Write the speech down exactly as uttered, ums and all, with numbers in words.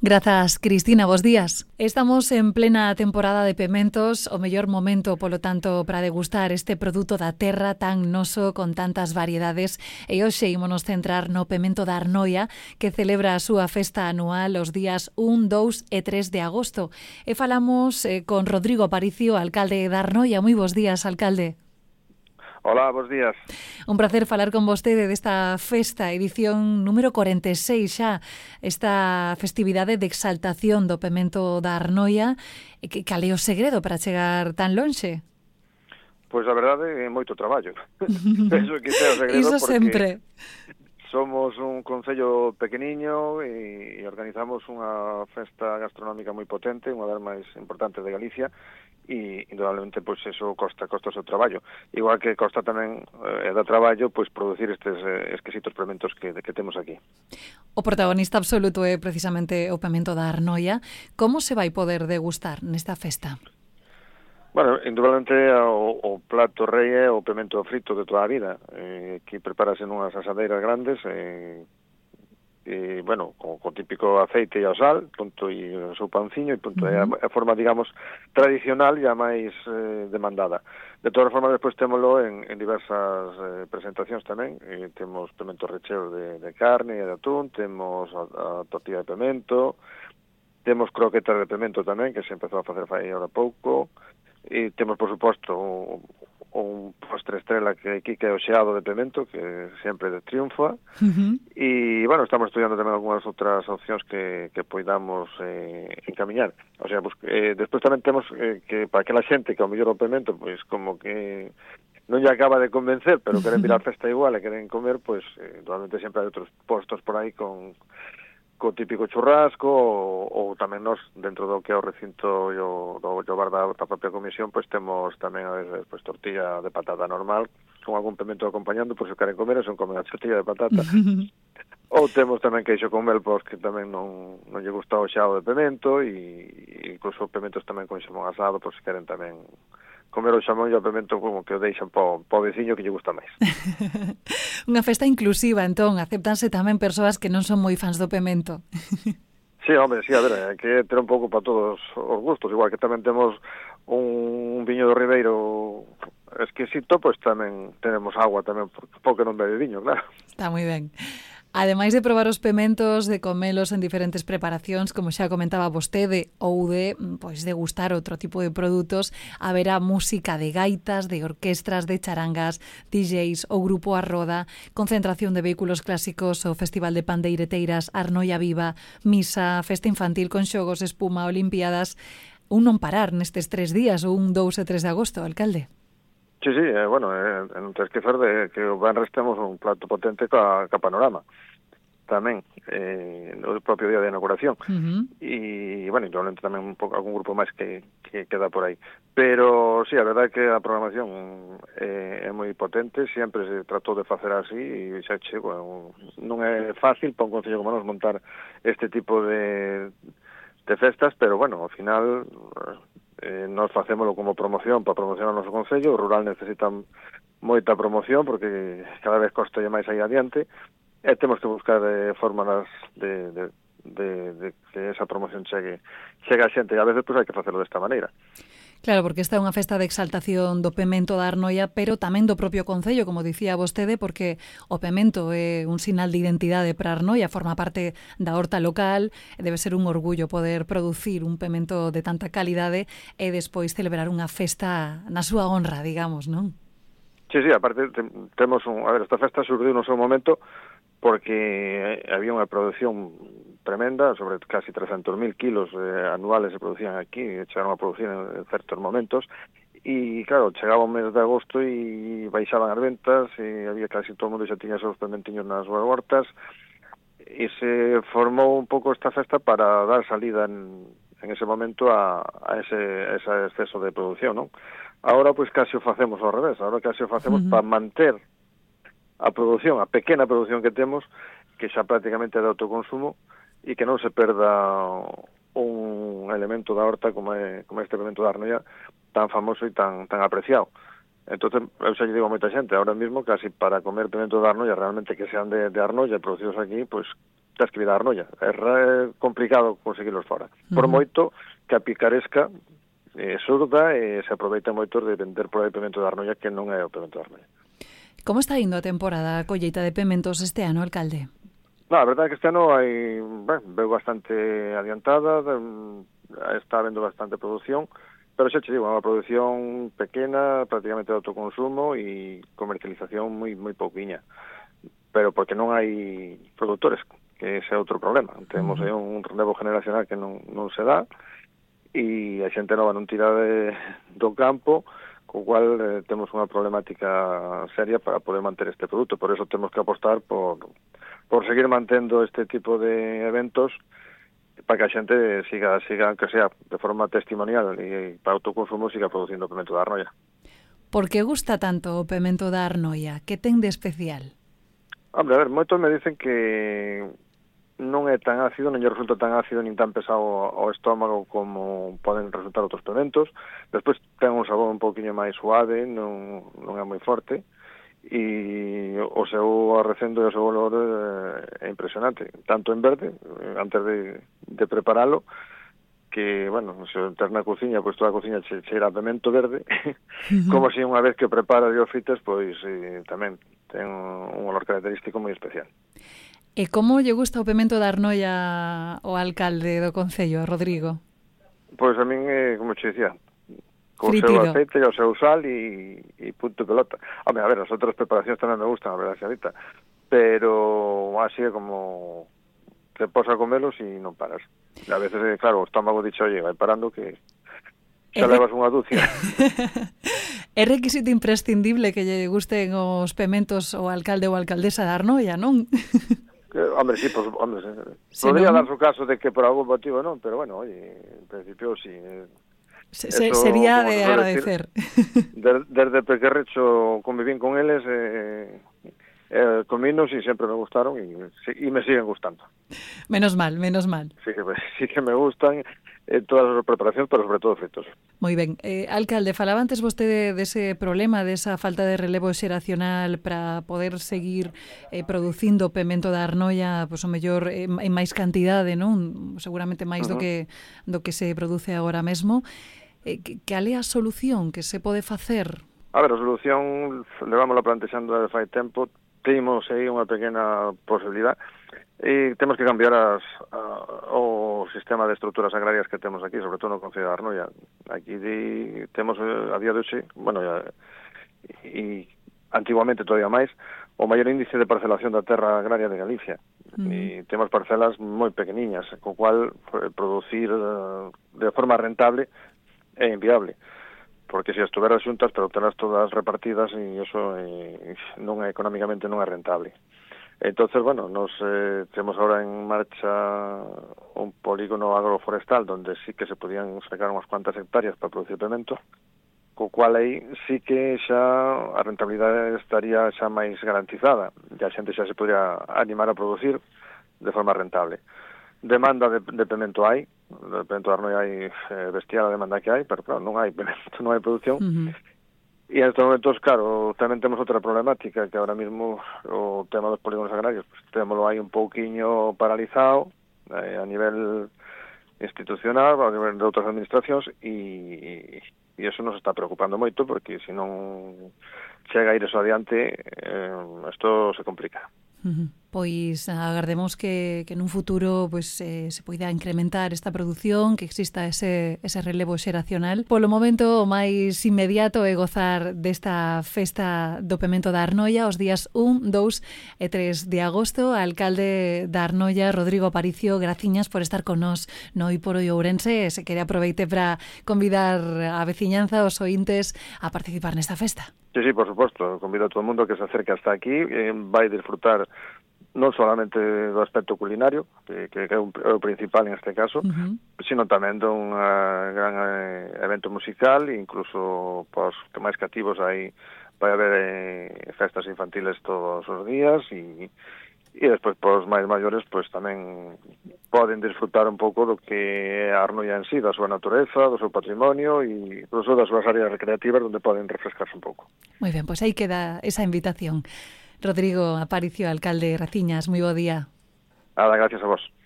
Grazas, Cristina, bos días. Estamos en plena temporada de pementos, o mellor momento, polo tanto, para degustar este produto da terra tan noso, con tantas variedades. E hoxe ímonos centrar no pemento da Arnoia, que celebra a súa festa anual os días un, dous e tres de agosto. E falamos eh, con Rodrigo Aparicio, alcalde da Arnoia. Moi bos días, alcalde. Hola, bos días. Un placer falar con vostede desta festa, edición número corenta e seis xa, esta festividade de exaltación do pemento da Arnoia. Que cal é o segredo para chegar tan lonxe? Pois a verdade é moito traballo. Penso que é o segredo. Iso porque sempre. Somos un concello pequeniño e, e organizamos unha festa gastronómica moi potente, unha das máis importantes de Galicia, e indudablemente pois eso costa costa o seu traballo, igual que costa tamén eh, da traballo pois producir estes eh, exquisitos pementos que, que temos aquí. O protagonista absoluto é precisamente o pemento da Arnoia. Como se vai poder degustar nesta festa? Bueno, indudablemente o, o plato rei é o pemento frito de toda a vida. Eh, aquí prepárase nunhas asadeiras grandes, eh, e, bueno, con, con típico aceite e o sal, punto, e o seu panciño, e punto, uh-huh. é, a, a forma, digamos, tradicional e a máis eh, demandada. De todas formas, despois témolo en, en diversas eh, presentacións tamén. Eh, temos pemento recheo de, de carne e de atún, temos a, a tortilla de pemento, temos croquetas de pemento tamén, que se empezou a facer fai ahora pouco, e temos, por suposto, un, un postre estrela que aquí que é o xeado de pemento, que sempre triunfa. Uh-huh. E, bueno, estamos estudiando tamén algunhas outras opcións que, que poidamos eh, encamiñar. O sea, pues, eh, despois tamén temos eh, que para aquela xente que ao mellor o pemento, pois como que non lle acaba de convencer, pero queren vir á festa igual e queren comer, pois eh, normalmente sempre hai outros postos por aí con co típico churrasco, ou, ou tamén nos, dentro do que é o recinto e o, do, do bar da, da propia comisión, pois temos tamén a veces pois, tortilla de patata normal, con algún pemento acompañando, pois se queren comer, son comen a tortilla de patata. Ou temos tamén queixo con mel, pois que tamén non, non lle gusta o xao de pemento, e incluso pementos tamén con xamón asado, pois se queren tamén comer o xamón e o pemento como que o deixan po, po veciño que lle gusta máis. Unha festa inclusiva, entón, acéptanse tamén persoas que non son moi fans do pemento. Sí, hombre, sí, a ver, hai que ter un pouco para todos os gustos, igual que tamén temos un viño do Ribeiro exquisito, pois tamén tenemos agua tamén, porque non bebe viño, claro. Está moi ben. Ademais de probar os pementos, de comelos en diferentes preparacións, como xa comentaba vostede, ou de pois degustar outro tipo de produtos, haberá música de gaitas, de orquestras, de charangas, D Js, o grupo Arroda, concentración de vehículos clásicos, o Festival de Pandeireteiras, Arnoia Viva, misa, festa infantil con xogos, espuma, olimpiadas. Un non parar nestes tres días, ou un dous e tres de agosto, alcalde. Sí, sí, eh, bueno, eh, non te esquecer de que o venres temos un plato potente ca, ca panorama tamén, eh, no propio día de inauguración. Uh-huh. E, bueno, indudablemente tamén un pouco, algún grupo máis que, que queda por aí. Pero, sí, a verdade é que a programación eh, é moi potente, sempre se tratou de facer así, e xa che, bueno, non é fácil para un concello como nos montar este tipo de, de festas, pero, bueno, ao final eh, nos facémolo como promoción para promocionar o noso concello. O rural necesita moita promoción porque cada vez costa máis aí adiante, e temos que buscar eh, fórmulas de, de, de, de que esa promoción chegue, chegue a xente, e a veces pues, hai que facelo desta maneira. Claro, porque esta é unha festa de exaltación do pemento da Arnoia, pero tamén do propio concello, como dicía vostede, porque o pemento é un sinal de identidade para Arnoia, forma parte da horta local, debe ser un orgullo poder producir un pemento de tanta calidade e despois celebrar unha festa na súa honra, digamos, non? Sí, sí, aparte te, temos un... A ver, esta festa surdiu no seu momento porque había unha produción tremenda, sobre casi trescentos mil kilos eh, anuales se producían aquí, chegaron a producir en, en certos momentos, e claro, chegaba o mes de agosto e baixaban as ventas, e había casi todo o mundo xa tiña esos pementiños nas súas hortas, e se formou un pouco esta festa para dar salida en, en ese momento a, a, ese, a ese exceso de producción, non? Ahora, pois, casi o facemos ao revés, ahora casi o facemos uh-huh. para manter a produción, a pequena produción que temos, que xa prácticamente é de autoconsumo, e que non se perda un elemento da horta como é, como este elemento da Arnoia tan famoso e tan tan apreciado. Entonces, eu xa lle digo a moita xente, ahora mismo casi para comer pemento da Arnoia, realmente que sean de, de Arnoia producidos aquí, pois tens que vir a Arnoia. É complicado conseguirlos fora. Por Uh-huh. moito que a picaresca é surda e se aproveita moito de vender por aí pemento de Arnoia que non é o pemento de Arnoia. Como está indo a temporada a colleita de pementos este ano, alcalde? No, a verdade é que este ano hai, ben, veo bastante adiantada, de, está habendo bastante produción, pero xa te digo, é unha produción pequena, prácticamente de autoconsumo e comercialización moi moi pouquiña. Pero porque non hai produtores, que ese é outro problema. Temos aí un relevo generacional que non, non se dá, e a xente nova non tira de, do campo, co cual eh, temos unha problemática seria para poder manter este produto. Por eso temos que apostar por, por seguir mantendo este tipo de eventos para que a xente siga, siga, aunque sea de forma testimonial e para autoconsumo, siga producindo pemento da Arnoia. Por que gusta tanto o pemento da Arnoia? Que ten de especial? Hombre, a ver, moitos me dicen que non é tan ácido, non lle resulta tan ácido nin tan pesado ao estómago como poden resultar outros pementos. Despois ten un sabor un pouquiño máis suave, non, non é moi forte, e o seu arrecendo e o seu olor é impresionante, tanto en verde, antes de, de preparalo, que, bueno, se entras na cociña, pois toda a cociña che, cheira a pemento verde, uh-huh. como se unha vez que prepara e o fritas, pois eh, tamén ten un olor característico moi especial. E como lle gusta o pemento da Arnoia ao alcalde do concello, Rodrigo? Pois a min, eh, como che dicía, co Fritido. seu aceite e o seu sal e, e punto pelota. Hombre, a ver, as outras preparacións tamén me gustan, a verdade, xadita, pero así é como te pos a comelos e non paras. E a veces, eh, claro, o estómago dicho, oye, vai parando que xa re... levas unha dúcia. É requisito imprescindible que lle gusten os pementos ao alcalde ou alcaldesa da Arnoia, non? Que, hombre, sí, pues, hombre, se podría non... dar su caso de que por algún motivo non, pero bueno, oye, en principio sí. Se, se, sería de agradecer. Decir, de, desde pequerrecho convivín con eles, eh, eh, cominos e sempre me gustaron e, e me siguen gustando. Menos mal, menos mal. Sí que, sí que me gustan eh, todas as preparacións, pero sobre todo fritos. Moi ben. Eh, alcalde, falaba antes vostede dese problema, desa falta de relevo xeracional para poder seguir eh, producindo pemento da Arnoia, pois o mellor eh, en máis cantidade, non? Seguramente máis uh-huh. do que do que se produce agora mesmo. Eh, que, que ale a solución que se pode facer? A ver, a solución levámosla plantexando de fai tempo, temos aí unha pequena posibilidad. E temos que cambiar as, a, o sistema de estruturas agrarias que temos aquí, sobre todo no Concello de Arnoia. Aquí di, temos a día de hoxe, bueno, ya, e antiguamente todavía máis, o maior índice de parcelación da terra agraria de Galicia. Mm. E temos parcelas moi pequeniñas, co cual producir de forma rentable é inviable. Porque se estuveras xuntas, pero telas todas repartidas e iso eh, non é, económicamente non é rentable. Entonces, bueno, nos eh, temos ahora en marcha un polígono agroforestal donde sí que se podían sacar unhas cuantas hectáreas para producir pemento, co cual aí sí que xa a rentabilidade estaría xa máis garantizada, e a xente xa se podría animar a producir de forma rentable. Demanda de, de pemento hai, de pemento de Arnoia hai eh, bestial a demanda que hai, pero claro, non hai pemento, non hai producción. Uh-huh. E en estes momentos, claro, tamén temos outra problemática, que ahora mismo o tema dos polígonos agrarios, pues, témolo aí un pouquiño paralizado eh, a nivel institucional, a nivel de outras administracións, e, e eso nos está preocupando moito, porque se non chega a ir eso adiante, eh, isto se complica. Uh-huh. Pois agardemos que, que nun futuro pues, eh, se poida incrementar esta produción, que exista ese, ese relevo xeracional. Polo momento, o máis inmediato é gozar desta festa do pemento da Arnoia os días un, dous e tres de agosto. Alcalde da Arnoia, Rodrigo Aparicio, graciñas por estar con nós no Hoy por Hoy Ourense. Se quere aproveite para convidar a veciñanza, os ointes, a participar nesta festa. Sí, sí, por suposto. Convido a todo el mundo que se acerque hasta aquí. Eh, vai disfrutar non solamente do aspecto culinario, que, que é o principal en este caso, uh-huh. sino tamén dun uh, gran uh, evento musical, e incluso pos que máis cativos aí vai haber eh, festas infantiles todos os días, e, e despois pos máis maiores pois tamén poden disfrutar un pouco do que é a Arnoia en sí, da súa natureza, do seu patrimonio e incluso das súas áreas recreativas onde poden refrescarse un pouco. Moi ben, pois aí queda esa invitación. Rodrigo Aparicio, alcalde Raciñas, moi bo día. Nada, gracias a vos.